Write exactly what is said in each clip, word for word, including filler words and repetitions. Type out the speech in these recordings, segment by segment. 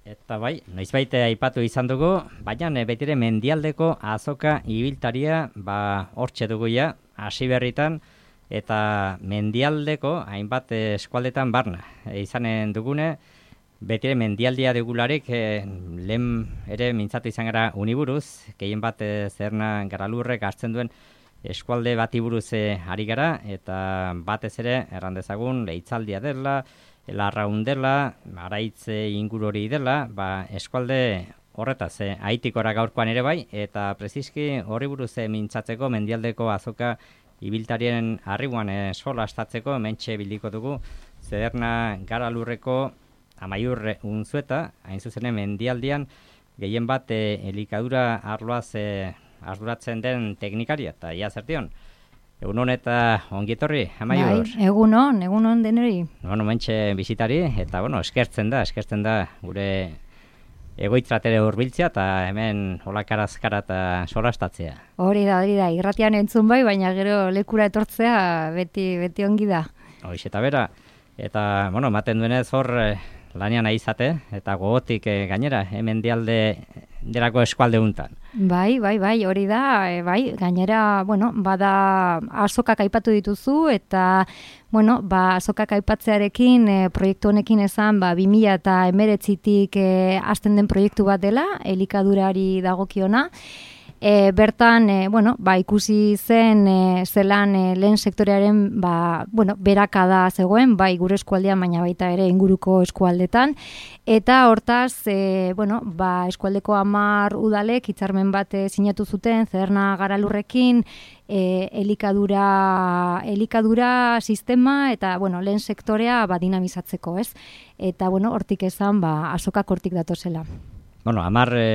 Eta bai, noizbait aipatu izan dugu, baina betire mendialdeko azoka ibiltaria ba hortxe dugu ja, hasi berritan, eta mendialdeko hainbat eskualdetan barna. E, izanen dugune, betire mendialdia dugularik e, lehen ere mintzatu izan gara uniburuz, gehien bat e, zerna garalurrek hartzen duen eskualde bati buruz e, ari gara, eta batez ere errandezagun lehitzaldia dela, Larraun dela, Araitz inguru hori dela, ba, eskualde horretaz, eh, aitikora gaurkoan ere bai, eta preziski horri buruz eh, mintzatzeko mendialdeko azoka ibiltarien arribuan eh, sola estatzeko mentxe bildiko dugu, zederna gara lurreko amaiur unzueta, hain zuzene mendialdian, gehien bat eh, elikadura arloaz eh, arduratzen den teknikaria, eta ia zertion. Egunon eta ongietorri, Amaiur. Bai, egunon, egunon deneri. Bueno, mentxe bisitari, eta bueno, eskertzen da, eskertzen da gure egoitzatere hurbiltzea eta hemen olakarazkara eta solastatzea. Hori da, hori da, irratian entzun bai, baina gero lekura etortzea beti beti ongi da. Hoiz eta bera, eta bueno, ematen duenez hor eh, lanean aizate, eta gogotik eh, gainera, hemen dialde delako eskualde untan. Bai, bai, bai, hori da, e, bai, gainera, bueno, bada azokak aipatu dituzu, eta, bueno, ba, azokak aipatzearekin, e, proiektu honekin esan, ba, bi mila hemeretzitik e, hasten den proiektu bat dela, elikadurari dagokiona. E, bertan, e, bueno, ba, ikusi zen e, zelan e, lehen sektorearen ba, bueno, berakada zegoen, bai gure eskualdean, baina baita ere inguruko eskualdetan, eta hortaz, e, bueno, ba, eskualdeko hamar udalek hitzarmen bat e, sinatu zuten, Zederna Garalurrekin, e, elikadura, elikadura sistema eta bueno, lehen sektorea ba, dinamizatzeko, ez? Eta bueno, hortik esan, ba, azokak hortik datozela. Bueno, hamar e...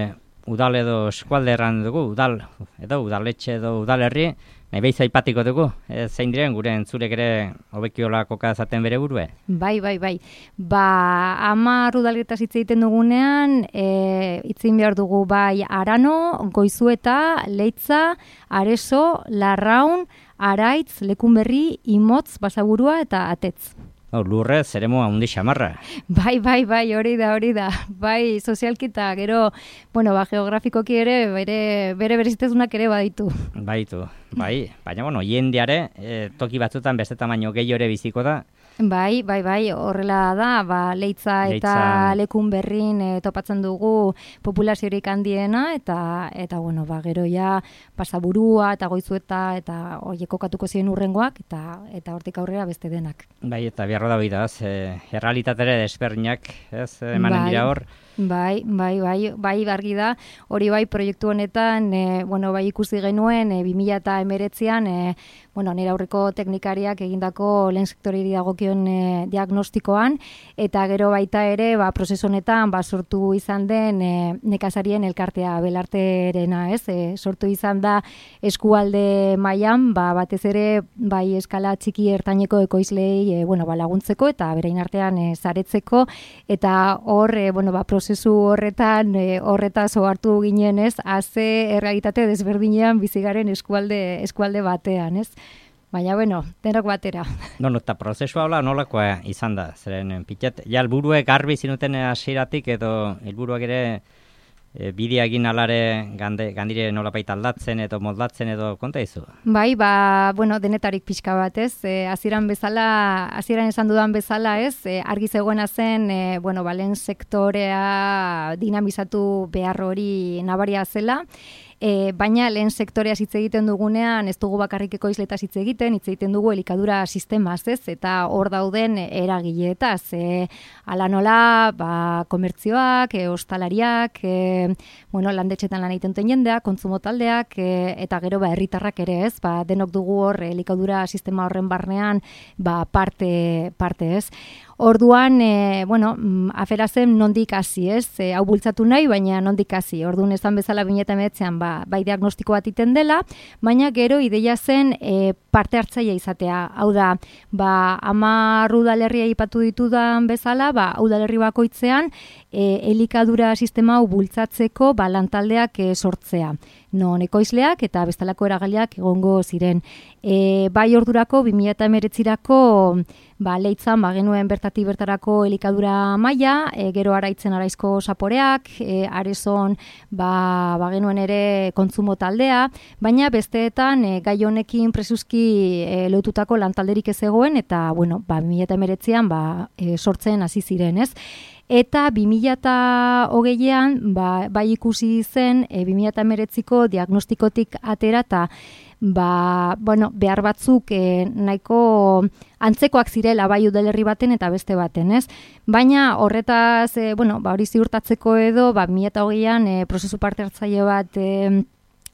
udal edo eskualde erran dugu, udal, edo udaletxe edo udalerri, nahi behiz aipatiko dugu, e, zein diren gure entzurek ere hobekiola koka zaten bere burue? Bai, bai, bai. Ba, hamar udaletaz hitz egiten dugunean, e, hitzein behar dugu bai Arano, Goizueta, Leitza, Areso, Larraun, Araitz, Lekunberri, Imotz, Basaburua eta Atetz. Oh, lurre, zeremo handi xamarra. Bai, bai, bai, hori da, hori da. Bai, sozialkita, gero, bueno, ba, geografikoki ere, bere, bere berezitezunak ere baditu. Baitu, bai. Baina, bueno, jendeare, e, toki batzutan beste tamaino gehiago ere biziko da. Bai, bai, bai, horrela da, ba, Leitza eta Leitza... Lekunberrin e, topatzen dugu populaziorik handiena, eta, eta bueno, ba, gero ja, Basaburua eta Goizueta, eta horiek kokatuko ziren urrengoak, eta, eta hortik aurrera beste denak. Bai, eta biharro da bidaz, e, errealitatere desberdinak, ez, emanen bai. dira hor. Bai, bai, bai, bai, argi da, hori bai proiektu honetan, e, bueno, bai ikusi genuen, e, bi mila hemeretzian, e, bueno, nire aurreko teknikariak egindako lehen sektoreri dagokion e, diagnostikoan, eta gero baita ere, ba, prozesu honetan, ba, sortu izan den e, nekazarien elkartea belarterena, ez? E, sortu izan da eskualde mailan, ba, batez ere, bai eskala txiki ertaineko ekoizlei, e, bueno, ba, laguntzeko, eta berain artean e, saretzeko, eta hor, e, bueno, ba, prozesu Prozesu horretan, e, horretaz ohartu ginen, ez, haze errealitate desberdinean bizigaren eskualde, eskualde batean, ez? Baina, bueno, denok batera. No, no, eta prozesua hola nolakoa izan da, zeren pitet, ja, helburuek garbi zinuten hasieratik edo helburuak ere e, bidea egin alare gande, gandire nolapait aldatzen edo moldatzen edo konta izu? Bai, ba, bueno, denetarik pixka bat, ez? E, hasieran bezala, hasieran esan dudan bezala, ez? E, argi zegoena zen, e, bueno, ba, lehen sektorea dinamizatu behar hori nabaria zela. E, baina lehen sektorea hitz egiten dugunean ez dugu bakarrik ekoizletaz hitz egiten, hitz egiten dugu elikadura sistemaz, ez? Eta hor dauden eragileetaz, e, ala nola, ba, komertzioak, e, ostalariak, e, bueno, landetxetan lan egiten duten jendeak, kontsumo taldeak, e, eta gero ba herritarrak ere, ez? Ba, denok dugu hor elikadura sistema horren barnean, ba, parte parte, ez? Orduan, e, bueno, afera zen nondik hasi, ez? E, hau bultzatu nahi, baina nondik hasi. Orduan esan bezala bi mila hemeretzian ba, bai diagnostiko bat iten dela, baina gero ideia zen e, parte hartzaile izatea. Hau da, ba, hamar udalerria aipatu ditudan bezala, ba, udalerri bakoitzean e, elikadura sistema hau bultzatzeko ba, lantaldeak e, sortzea. Non ekoizleak eta bestelako eragaileak egongo ziren. E, bai ordurako, bi mila hemeretzirako ba, leitzan ba, genuen bertatik bertarako elikadura maila, e, gero Araitzen Araizko Zaporeak, e, Arezon ba, ba, genuen ere kontsumo taldea, baina besteetan e, gai honekin presuski e, lotutako lantalderik ez egoen, eta bueno, ba, bi mila hemeretzian ba, e, sortzen hasi ziren, ez? Eta bi mila hogeian ba, bai ikusi zen e, bi mila hemeretziko diagnostikotik atera eta ba, bueno, behar batzuk e, nahiko antzekoak zirela bai udalerri baten eta beste baten, ez? Baina horretaz, e, bueno, ba, hori ziurtatzeko edo, ba, bi mila hogeian e, prozesu parte hartzaile bat e,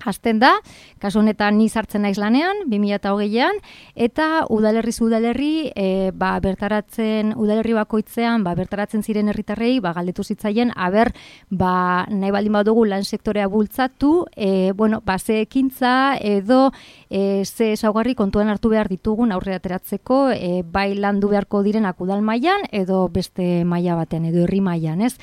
hasten da, kasu honetan ni sartzen naiz lanean, bi mila hogeian, eta udalerriz udalerri, e, ba, bertaratzen, udalerri bakoitzean, ba, bertaratzen ziren herritarrei, ba, galdetu zitzaien, aber, ba, nahi baldin badugu lan sektorea bultzatu, e, bueno, ba, ze ekintza edo e, ze ezaugarri kontuan hartu behar ditugun aurre ateratzeko, e, bai landu beharko direnak udal mailan edo beste maila baten, edo herri mailan, ez?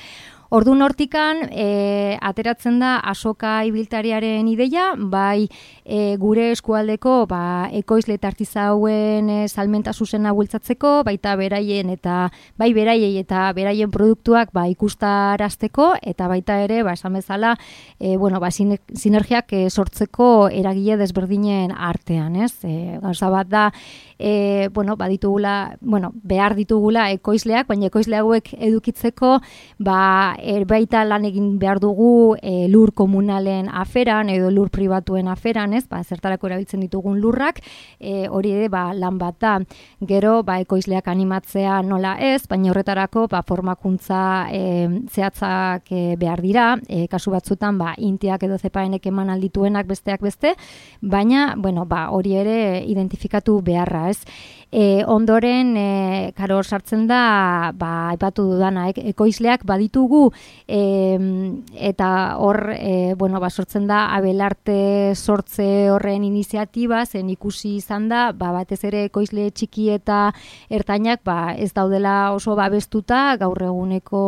Ordun hortikan e, ateratzen da azoka ibiltariaren ideia, bai e, gure eskualdeko ba, ekoizle eta artizauen e, salmenta zuzena bultzatzeko, baita beraien eta bai beraiei eta beraien produktuak ba, ikustarazteko, eta baita ere, ba, esan bezala, e, bueno, ba, sinergiak e, sortzeko eragile desberdinen artean, ez? E, gauza bat da, e, bueno, ba, ditugula, bueno, behar ditugula ekoizleak, baina ekoizle hauek edukitzeko, ba, Er, baita lan egin behar dugu e, lur komunalen aferan edo lur pribatuen aferan, ez? Ba, zertarako erabiltzen ditugun lurrak, e, hori ere ba, lan bat da. Gero ba, ekoizleak animatzea nola ez, baina horretarako ba, formakuntza e, zehatzak e, behar dira, e, kasu batzutan ba, intiak edo zepaenek eman aldituenak besteak beste, baina bueno, ba, hori ere identifikatu beharra, ez? E, ondoren, e, karo sartzen da, ba, aipatu dudana, e, ekoizleak baditugu, e, eta hor, e, bueno, ba, sortzen da, abelarte sortze horren iniziatiba, zen ikusi izan da, ba, batez ere ekoizle txiki eta ertainak, ba, ez daudela oso babestuta, gaur eguneko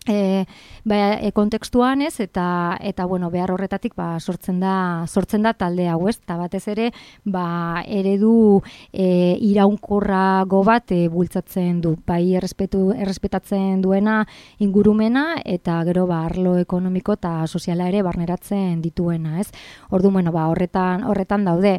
E, ba, e, kontekstuan ez, eta, eta bueno, behar horretatik ba, sortzen da sortzen da talde hau, ez? Eta batez ere ba, eredu e, iraunkorrago bat e, bultzatzen du, bai errespetu, errespetatzen duena ingurumena, eta gero ba, arlo ekonomiko eta soziala ere barneratzen dituena, ez? Orduan, bueno, ba, horretan, horretan daude.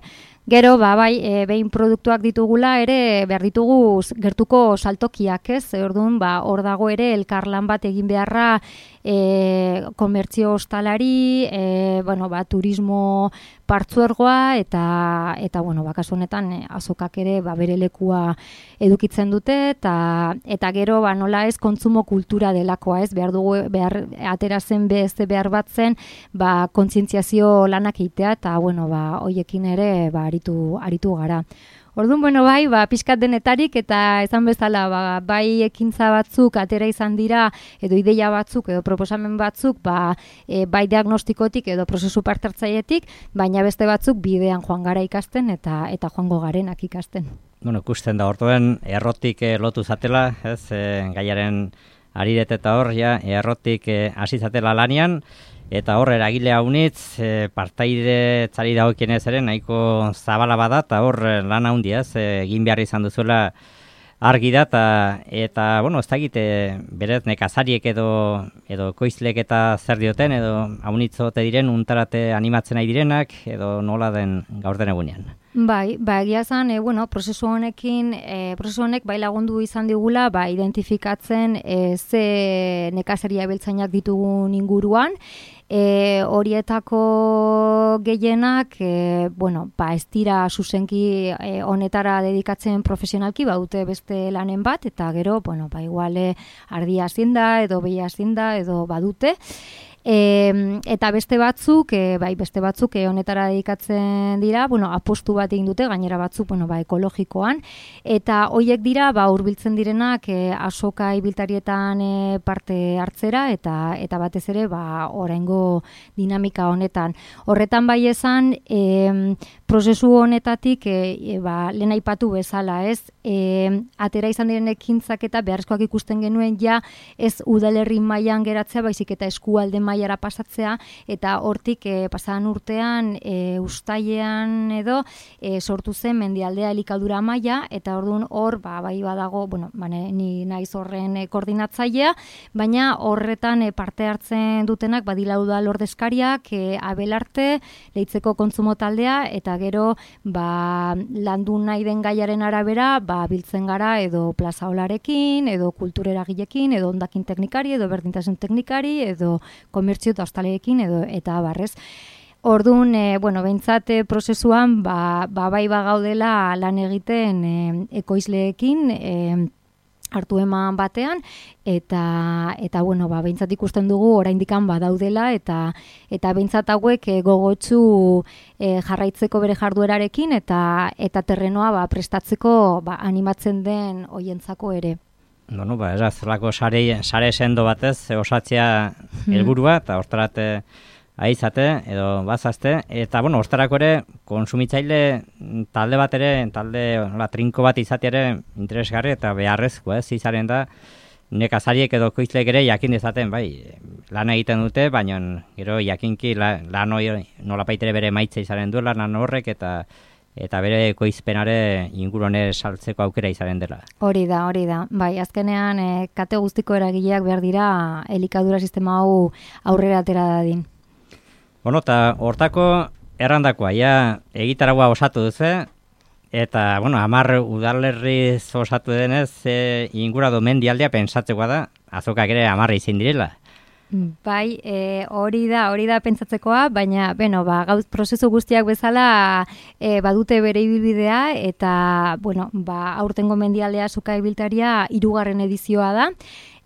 Gero, ba, bai, e, behin produktuak ditugula ere behar ditugu gertuko saltokiak, ez? Orduan, ba, hor dago ere elkarlan bat egin beharra e, komertzio ostalari, e, bueno, ba, turismo partzuergoa eta eta bueno, ba, kasu honetan e, azokak ere ba, bere lekua edukitzen dute, eta eta gero ba, nola ez kontsumo kultura delakoa, ez? Behar dugu behar ateratzen beste behar batzen, ba, kontzientziazio lanak egitea, eta bueno, ba, hoiekin ere ba, aritu aritu gara. Orduan, bueno, bai, ba, pixkat denetarik, eta esan bezala, ba, bai ekintza batzuk atera izan dira, edo ideia batzuk, edo proposamen batzuk, ba, e, bai diagnostikotik, edo prozesu parte hartzailetik, baina beste batzuk bidean joan gara ikasten, eta eta joango garenak ikasten. Bueno, ikusten da, orduan, errotik eh, lotu zatela, ez, eh, gaiaren ariret eta hor, ja, errotik eh, hasi zatela lanian, eta hor eragile haunitz, e, partaide txari dagokienez ere, nahiko zabala bada, eta hor lan handia, ez, egin behar izan duzuela argi da, eta, eta bueno, ez da egite, berez nekazariek edo, edo koizlek eta zer dioten, edo haunitzote diren, untarate animatzen nahi direnak, edo nola den gaur den egunean. Bai, ba, egia zan, e, bueno, prozesu honekin, e, prozesu honek bai lagundu izan digula, ba, identifikatzen e, ze nekazaria beltzainak ditugun inguruan, e, horietako gehienak, e, bueno, ba, ez dira zuzenki e, honetara dedikatzen profesionalki, ba, dute beste lanen bat, eta gero, bueno, ba, iguale ardia zinda, edo behia zinda, edo badute. E, eta beste batzuk, e, bai beste batzuk e, honetara dedikatzen dira, bueno, apostu bat egin dute, gainera batzuk, bueno, ba, ekologikoan, eta hoiek dira, ba, hurbiltzen direnak e, azoka ibiltarietan e, parte hartzera, eta eta batez ere, ba, oraingo dinamika honetan. Horretan bai esan, e, prozesu honetatik e, e, ba, lehen aipatu bezala, ez? E, atera izan diren ekintzak eta beharrezkoak ikusten genuen ja ez udalerri mailan geratzea, baizik eta eskualde mailara pasatzea, eta hortik e, pasadan urtean e, ustailean edo e, sortu zen mendialdea elikadura maila, eta orduan hor ba, bai badago, bueno, bane, ni naiz horren e, koordinatzailea, baina horretan e, parte hartzen dutenak badila udal ordezkariak, e, Abelarte, Leitzeko kontsumo taldea, eta gero ba, landu nahi den gaiaren arabera ba, biltzen gara edo plaza olarekin, edo kultureragilekin, edo ondakin teknikari, edo berdintasun teknikari, edo komertzio eta ostaleekin, edo eta abarrez. Orduan, e, bueno, behintzat e, prozesuan ba, ba, bai bagaudela lan egiten e, ekoizleekin, e, hartu eman batean, eta eta bueno, ba beintzat ikusten dugu oraindikan badaudela eta eta beintzat hauek e, gogotsu e, jarraitzeko bere jarduerarekin eta eta terrenoa ba prestatzeko ba animatzen den hoientzako ere. No, no, ba, ez zelako sare sare sendo batez osatzea helburua eta hortarate aizate edo bazazte, eta bueno, hortarako ere konsumitzaile talde bat ere, talde la trinko bat izate ere interesgarri eta beharrezko, ez, izaren da nekazariek edo koizleek ere jakin dezaten, bai, lan egiten dute, baina gero jakinki la, lan hori nolapait ere bere maitza izaren duela lan horrek eta eta bere koizpenare ingurune saltzeko aukera izaren dela. Hori da, hori da. Bai, azkenean e, kate guztiko eragileak behar dira elikadura sistema hau aurrera atera dadin. Bueno, eta hortako errandakoa, ja, egitaragua osatu duze, eta, bueno, hamar udalerriz osatu denez, e, ingurado mendialdea pensatzekoa da, azokak ere hamarra izin direla. Bai, e, hori da, hori da pentsatzekoa, baina, beno, ba, gauz prozesu guztiak bezala e, badute bere ibilbidea, eta, bueno, ba, aurtengo mendialdea azoka ibiltaria hirugarren edizioa da,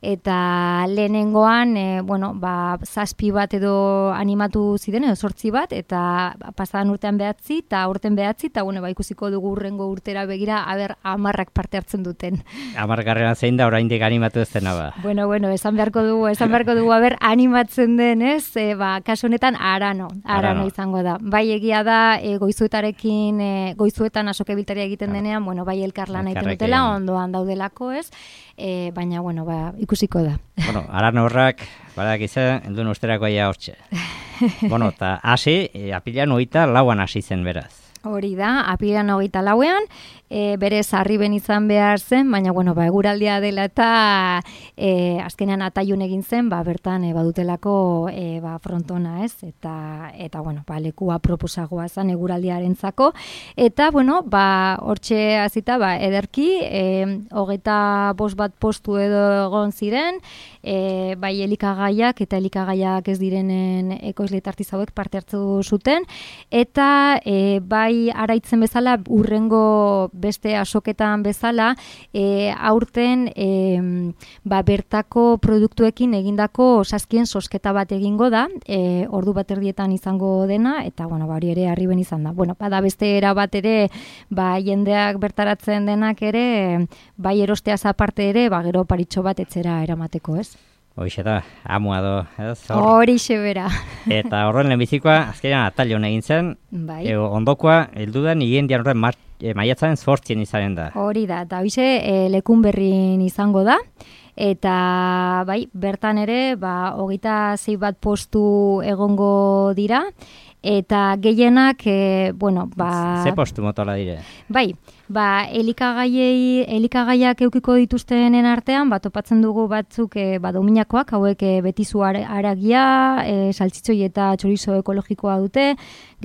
eta lehenengoan, e, bueno, ba, zazpi bat edo animatu ziren, edo sortzi bat, eta pasadan urtean behatzi, eta aurten behatzi, eta bueno, ba, ikusiko dugu urrengo urtera begira, aber, amarrak parte hartzen duten. Amargarrena zein da, oraindik animatu ez dena ba. Bueno, bueno, esan beharko dugu, esan beharko dugu, aber, animatzen den, ez, e, ba, kasu honetan, arano, arano, arano izango da. Bai, egia da, e, goizuetarekin, e, goizuetan asoke biltaria egiten denean, bueno, bai, elkarlan egiten dutela, ondoan daudelako, ez, e, baina, bueno, ba, ikusiko da. Bueno, aran horrak, badak izan, elduen usterako aia hortxe. Bueno, eta hasi, e, apilean hogeita lauan hasi zen beraz. Hori da, apilean hogeita lauean, e, berez arriben izan behar zen, baina, bueno, ba, eguraldia dela eta e, azkenean ataiun egin zen, ba, bertan e, badutelako e, ba, frontona, ez? Eta, eta bueno, ba, lekua proposagoa zen eguraldiarentzako. Eta, bueno, ba, hortxe hasita, ba, ederki, e, hogeita bost bat postu edo egon ziren, e, bai elikagaiak eta elikagaiak ez direnen ekoizle eta artizauek parte hartu zuten, eta e, bai araitzen bezala, urrengo beste asoketan bezala, e, aurten e, ba, bertako produktuekin egindako saskien sosketa bat egingo da, e, ordu bat erdietan izango dena, eta bueno, ba, hori ere arriben izan da. Bueno, bada beste era bat ere, ba, jendeak bertaratzen denak ere, bai erosteaz aparte ere, ba, gero paritxo bat etzera eramateko, ez? Hoixe da, amua do, ez? Horixe bera. Eta horren lehenbizikoa, azkenean atalion egin zen, bai. E, ondokoa, heldudan igen dian horren e, maiatzaren zortzien izaren da. Hori da, eta hoize e, lekun berrin izango da, eta bai, bertan ere, ba, hogeita zei bat postu egongo dira, eta gehienak, e, bueno, ba... Ze postu motola dire? Bai, ba, elikagaiei, elikagaiak eukiko dituztenen artean, ba, topatzen dugu batzuk, e, ba, dominakoak, hauek e, betizu haragia, e, saltzitzoi eta txorizo ekologikoa dute,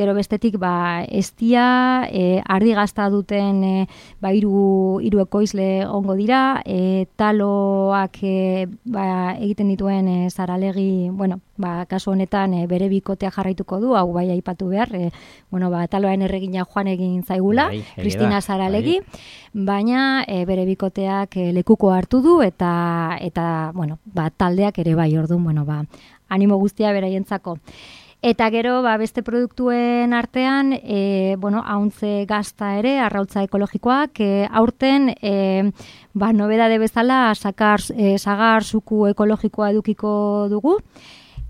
gero bestetik, ba, estia, e, ardi gazta duten, e, ba, iru, iru ekoizle ongo dira, e, taloak, e, ba, egiten dituen e, zaralegi, bueno, ba, kasu honetan e, bere bikotea jarraituko du, hau bai aipatu behar, e, bueno, ba, taloaren erregina joan egin zaigula, bai, Kristina Zaralegi, bai. Baina e, bere bikoteak e, lekuko hartu du, eta, eta bueno, ba, taldeak ere bai, orduan, bueno, ba, animo guztia beraientzako. Eta gero, ba, beste produktuen artean, e, bueno, hauntze gazta ere, arrautza ekologikoak, e, aurten, e, ba, nobedade bezala, sakar, e, sagar zuku ekologikoa edukiko dugu,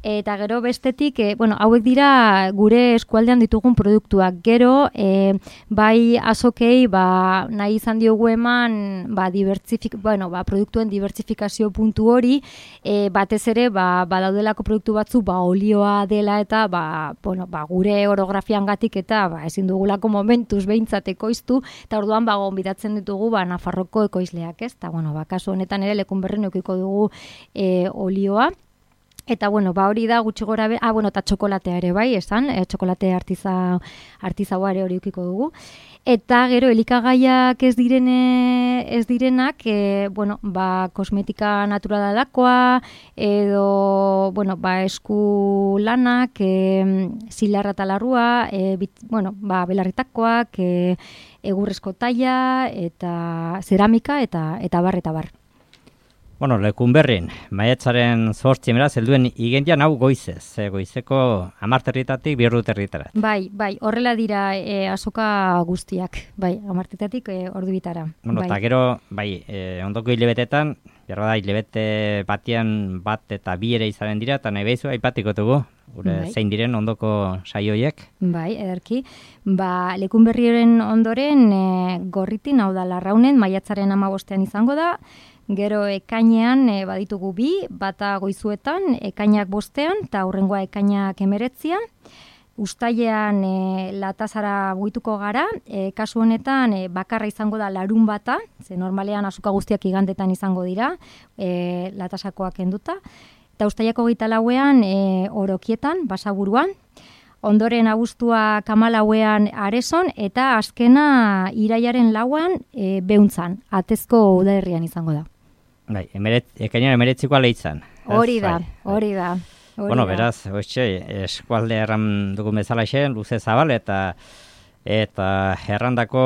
Eta gero bestetik, e, bueno, hauek dira gure eskualdean ditugun produktuak. Gero, e, bai azokei, ba, nahi izan diogu eman, ba, dibertsifik, bueno, ba, produktuen dibertsifikazio puntu hori, e, batez ere, ba, badaudelako produktu batzu, ba, olioa dela eta, ba, bueno, ba, gure orografian gatik eta, ba, ezin dugulako momentuz behintzat ekoiztu, eta orduan, ba, gonbidatzen ditugu, ba, Nafarroko ekoizleak, ez? Eta, bueno, ba, kasu honetan ere, Lekunberrin eukiko dugu e, olioa. Eta, bueno, ba hori da gutxi gora be... Ah, bueno, eta txokolatea ere bai, esan, e, txokolate artiza, artizaua ere hori ukiko dugu. Eta gero, elikagaiak ez direne, ez direnak, e, bueno, ba, kosmetika naturalakoa, edo, bueno, ba, esku lanak, e, zilarra talarrua, e, bit, bueno, ba, belarritakoak, e, egurrezko taila, eta zeramika, eta, eta bar, eta bar. Bueno, Lekunberrin, maiatzaren zortzi beraz, helduen igendian hau goizez, e, goizeko amarterritatik birruterritarat. Bai, bai, horrela dira e, azoka guztiak, bai, amarterritatik e, ordu bitara. Bueno, eta bai. gero, bai, e, ondoko hilebetetan, berra da, hilebete batian bat eta bi ere izanen dira, eta nahi behizu, aipatiko dugu, gure bai. Zein diren ondoko saioiek. Bai, ederki. Ba, Lekunberriren ondoren e, Gorritin, hau da Larraunen, maiatzaren hamabostean izango da. Gero ekainean e, baditugu bi, bata goizuetan, ekainak bostean, eta hurrengoa ekainak emeretzian. Uztailean e, latazara buituko gara, e, kasu honetan e, bakarra izango da larun bata, ze normalean azuka guztiak igandetan izango dira, e, latasakoak enduta. Eta uztaileko geita lauean e, orokietan, basaburuan, ondoren abuztua kamalauean areson, eta azkena iraiaren lauan e, beuntzan, atezko udalerrian izango da. Bai, emeret, ekainan emeretzikoa lehitzan. Hori da, hori da. Bueno, beraz, oitxe, eskualde erran dugun bezala xen, luze zabal, eta eta errandako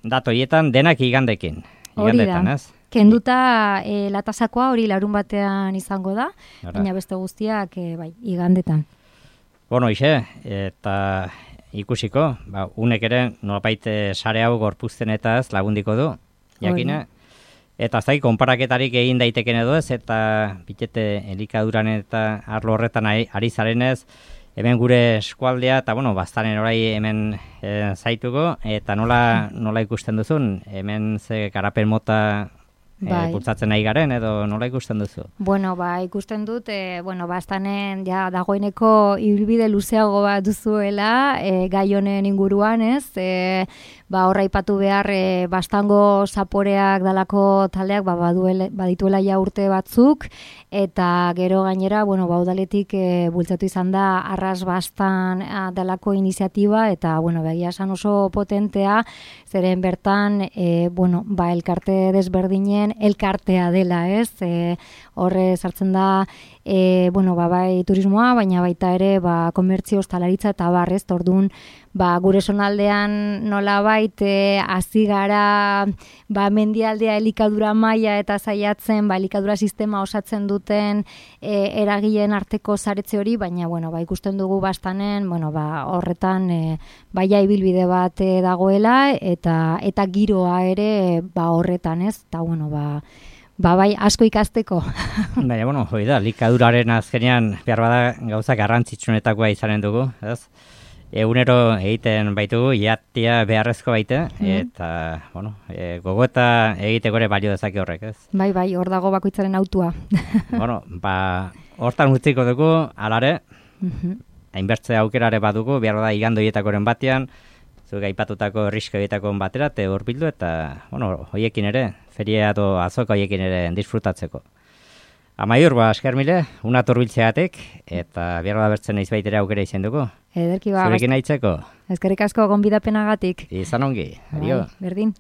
datoietan denak igandekin. Igandetan, ez? Kenduta e, latasakoa hori larun batean izango da, baina beste guztiak e, bai, igandetan. Bueno, ixe, eta ikusiko, ba, unek ere nolapait sare hau gorpuzten eta ez lagundiko du, jakina. Eta zai, konparaketarik egin daiteken edo ez, eta bitete elikaduran eta arlo horretan ari, ari zarenez, hemen gure eskualdea, eta bueno, baztanen orai hemen e, zaituko, eta nola, nola ikusten duzun, hemen ze garapen mota bai. E, bultzatzen nahi garen, edo nola ikusten duzu? Bueno, ba, ikusten dut, e, bueno, baztanen ja, dagoeneko ibilbide luzeago bat duzuela, e, gai honen inguruan, ez? E, ba, horra ipatu behar, e, bastango zaporeak dalako taldeak, ba, baduele, badituela ja urte batzuk, eta gero gainera, bueno, ba, udaletik e, bultzatu izan da, arras bastan a, dalako iniziatiba, eta, bueno, begia esan oso potentea, zeren bertan, e, bueno, ba, elkarte desberdinen, elkartea dela, ez? E, horre sartzen da, e, bueno, ba, bai turismoa, baina baita ere, ba, komertzio, ostalaritza eta barrez, orduan, ba, gure sonaldean nola baite hasi gara ba, mendialdea elikadura maila eta zaiatzen ba, elikadura sistema osatzen duten e, eragileen arteko saretze hori, baina bueno, ba, ikusten dugu bastanen bueno, ba, horretan e, baia ibilbide bat e, dagoela eta eta giroa ere ba, horretan ez, eta bueno, ba, Ba, bai, asko ikasteko. Baina, bueno, hoi da, likaduraren azkenean behar bada gauza garrantzitsunetakoa izanen dugu, ez? Egunero egiten baitugu, iatia beharrezko baite, mm. eta, bueno, e, gogoeta egiteko ere balio dezake horrek, ez? Bai, bai, hor dago bakoitzaren autua. Bueno, ba, hortan utziko dugu, alare, mm-hmm. hainbertze aukerare badugu, behar bada igandoietakoren batean, zuk aipatutako riskoietako batera, te hor bildu, eta, bueno, hoiekin ere, feria edo azoka hoiekin ere disfrutatzeko. Amaiur, ba, esker mile, una turbiltzeatek, eta behar da bertzen naiz baitere aukera izan dugu. Ederki ba. Zurekin aitzeko. Eskerrik asko gonbidapenagatik. Izan ongi, adio. Bai, berdin.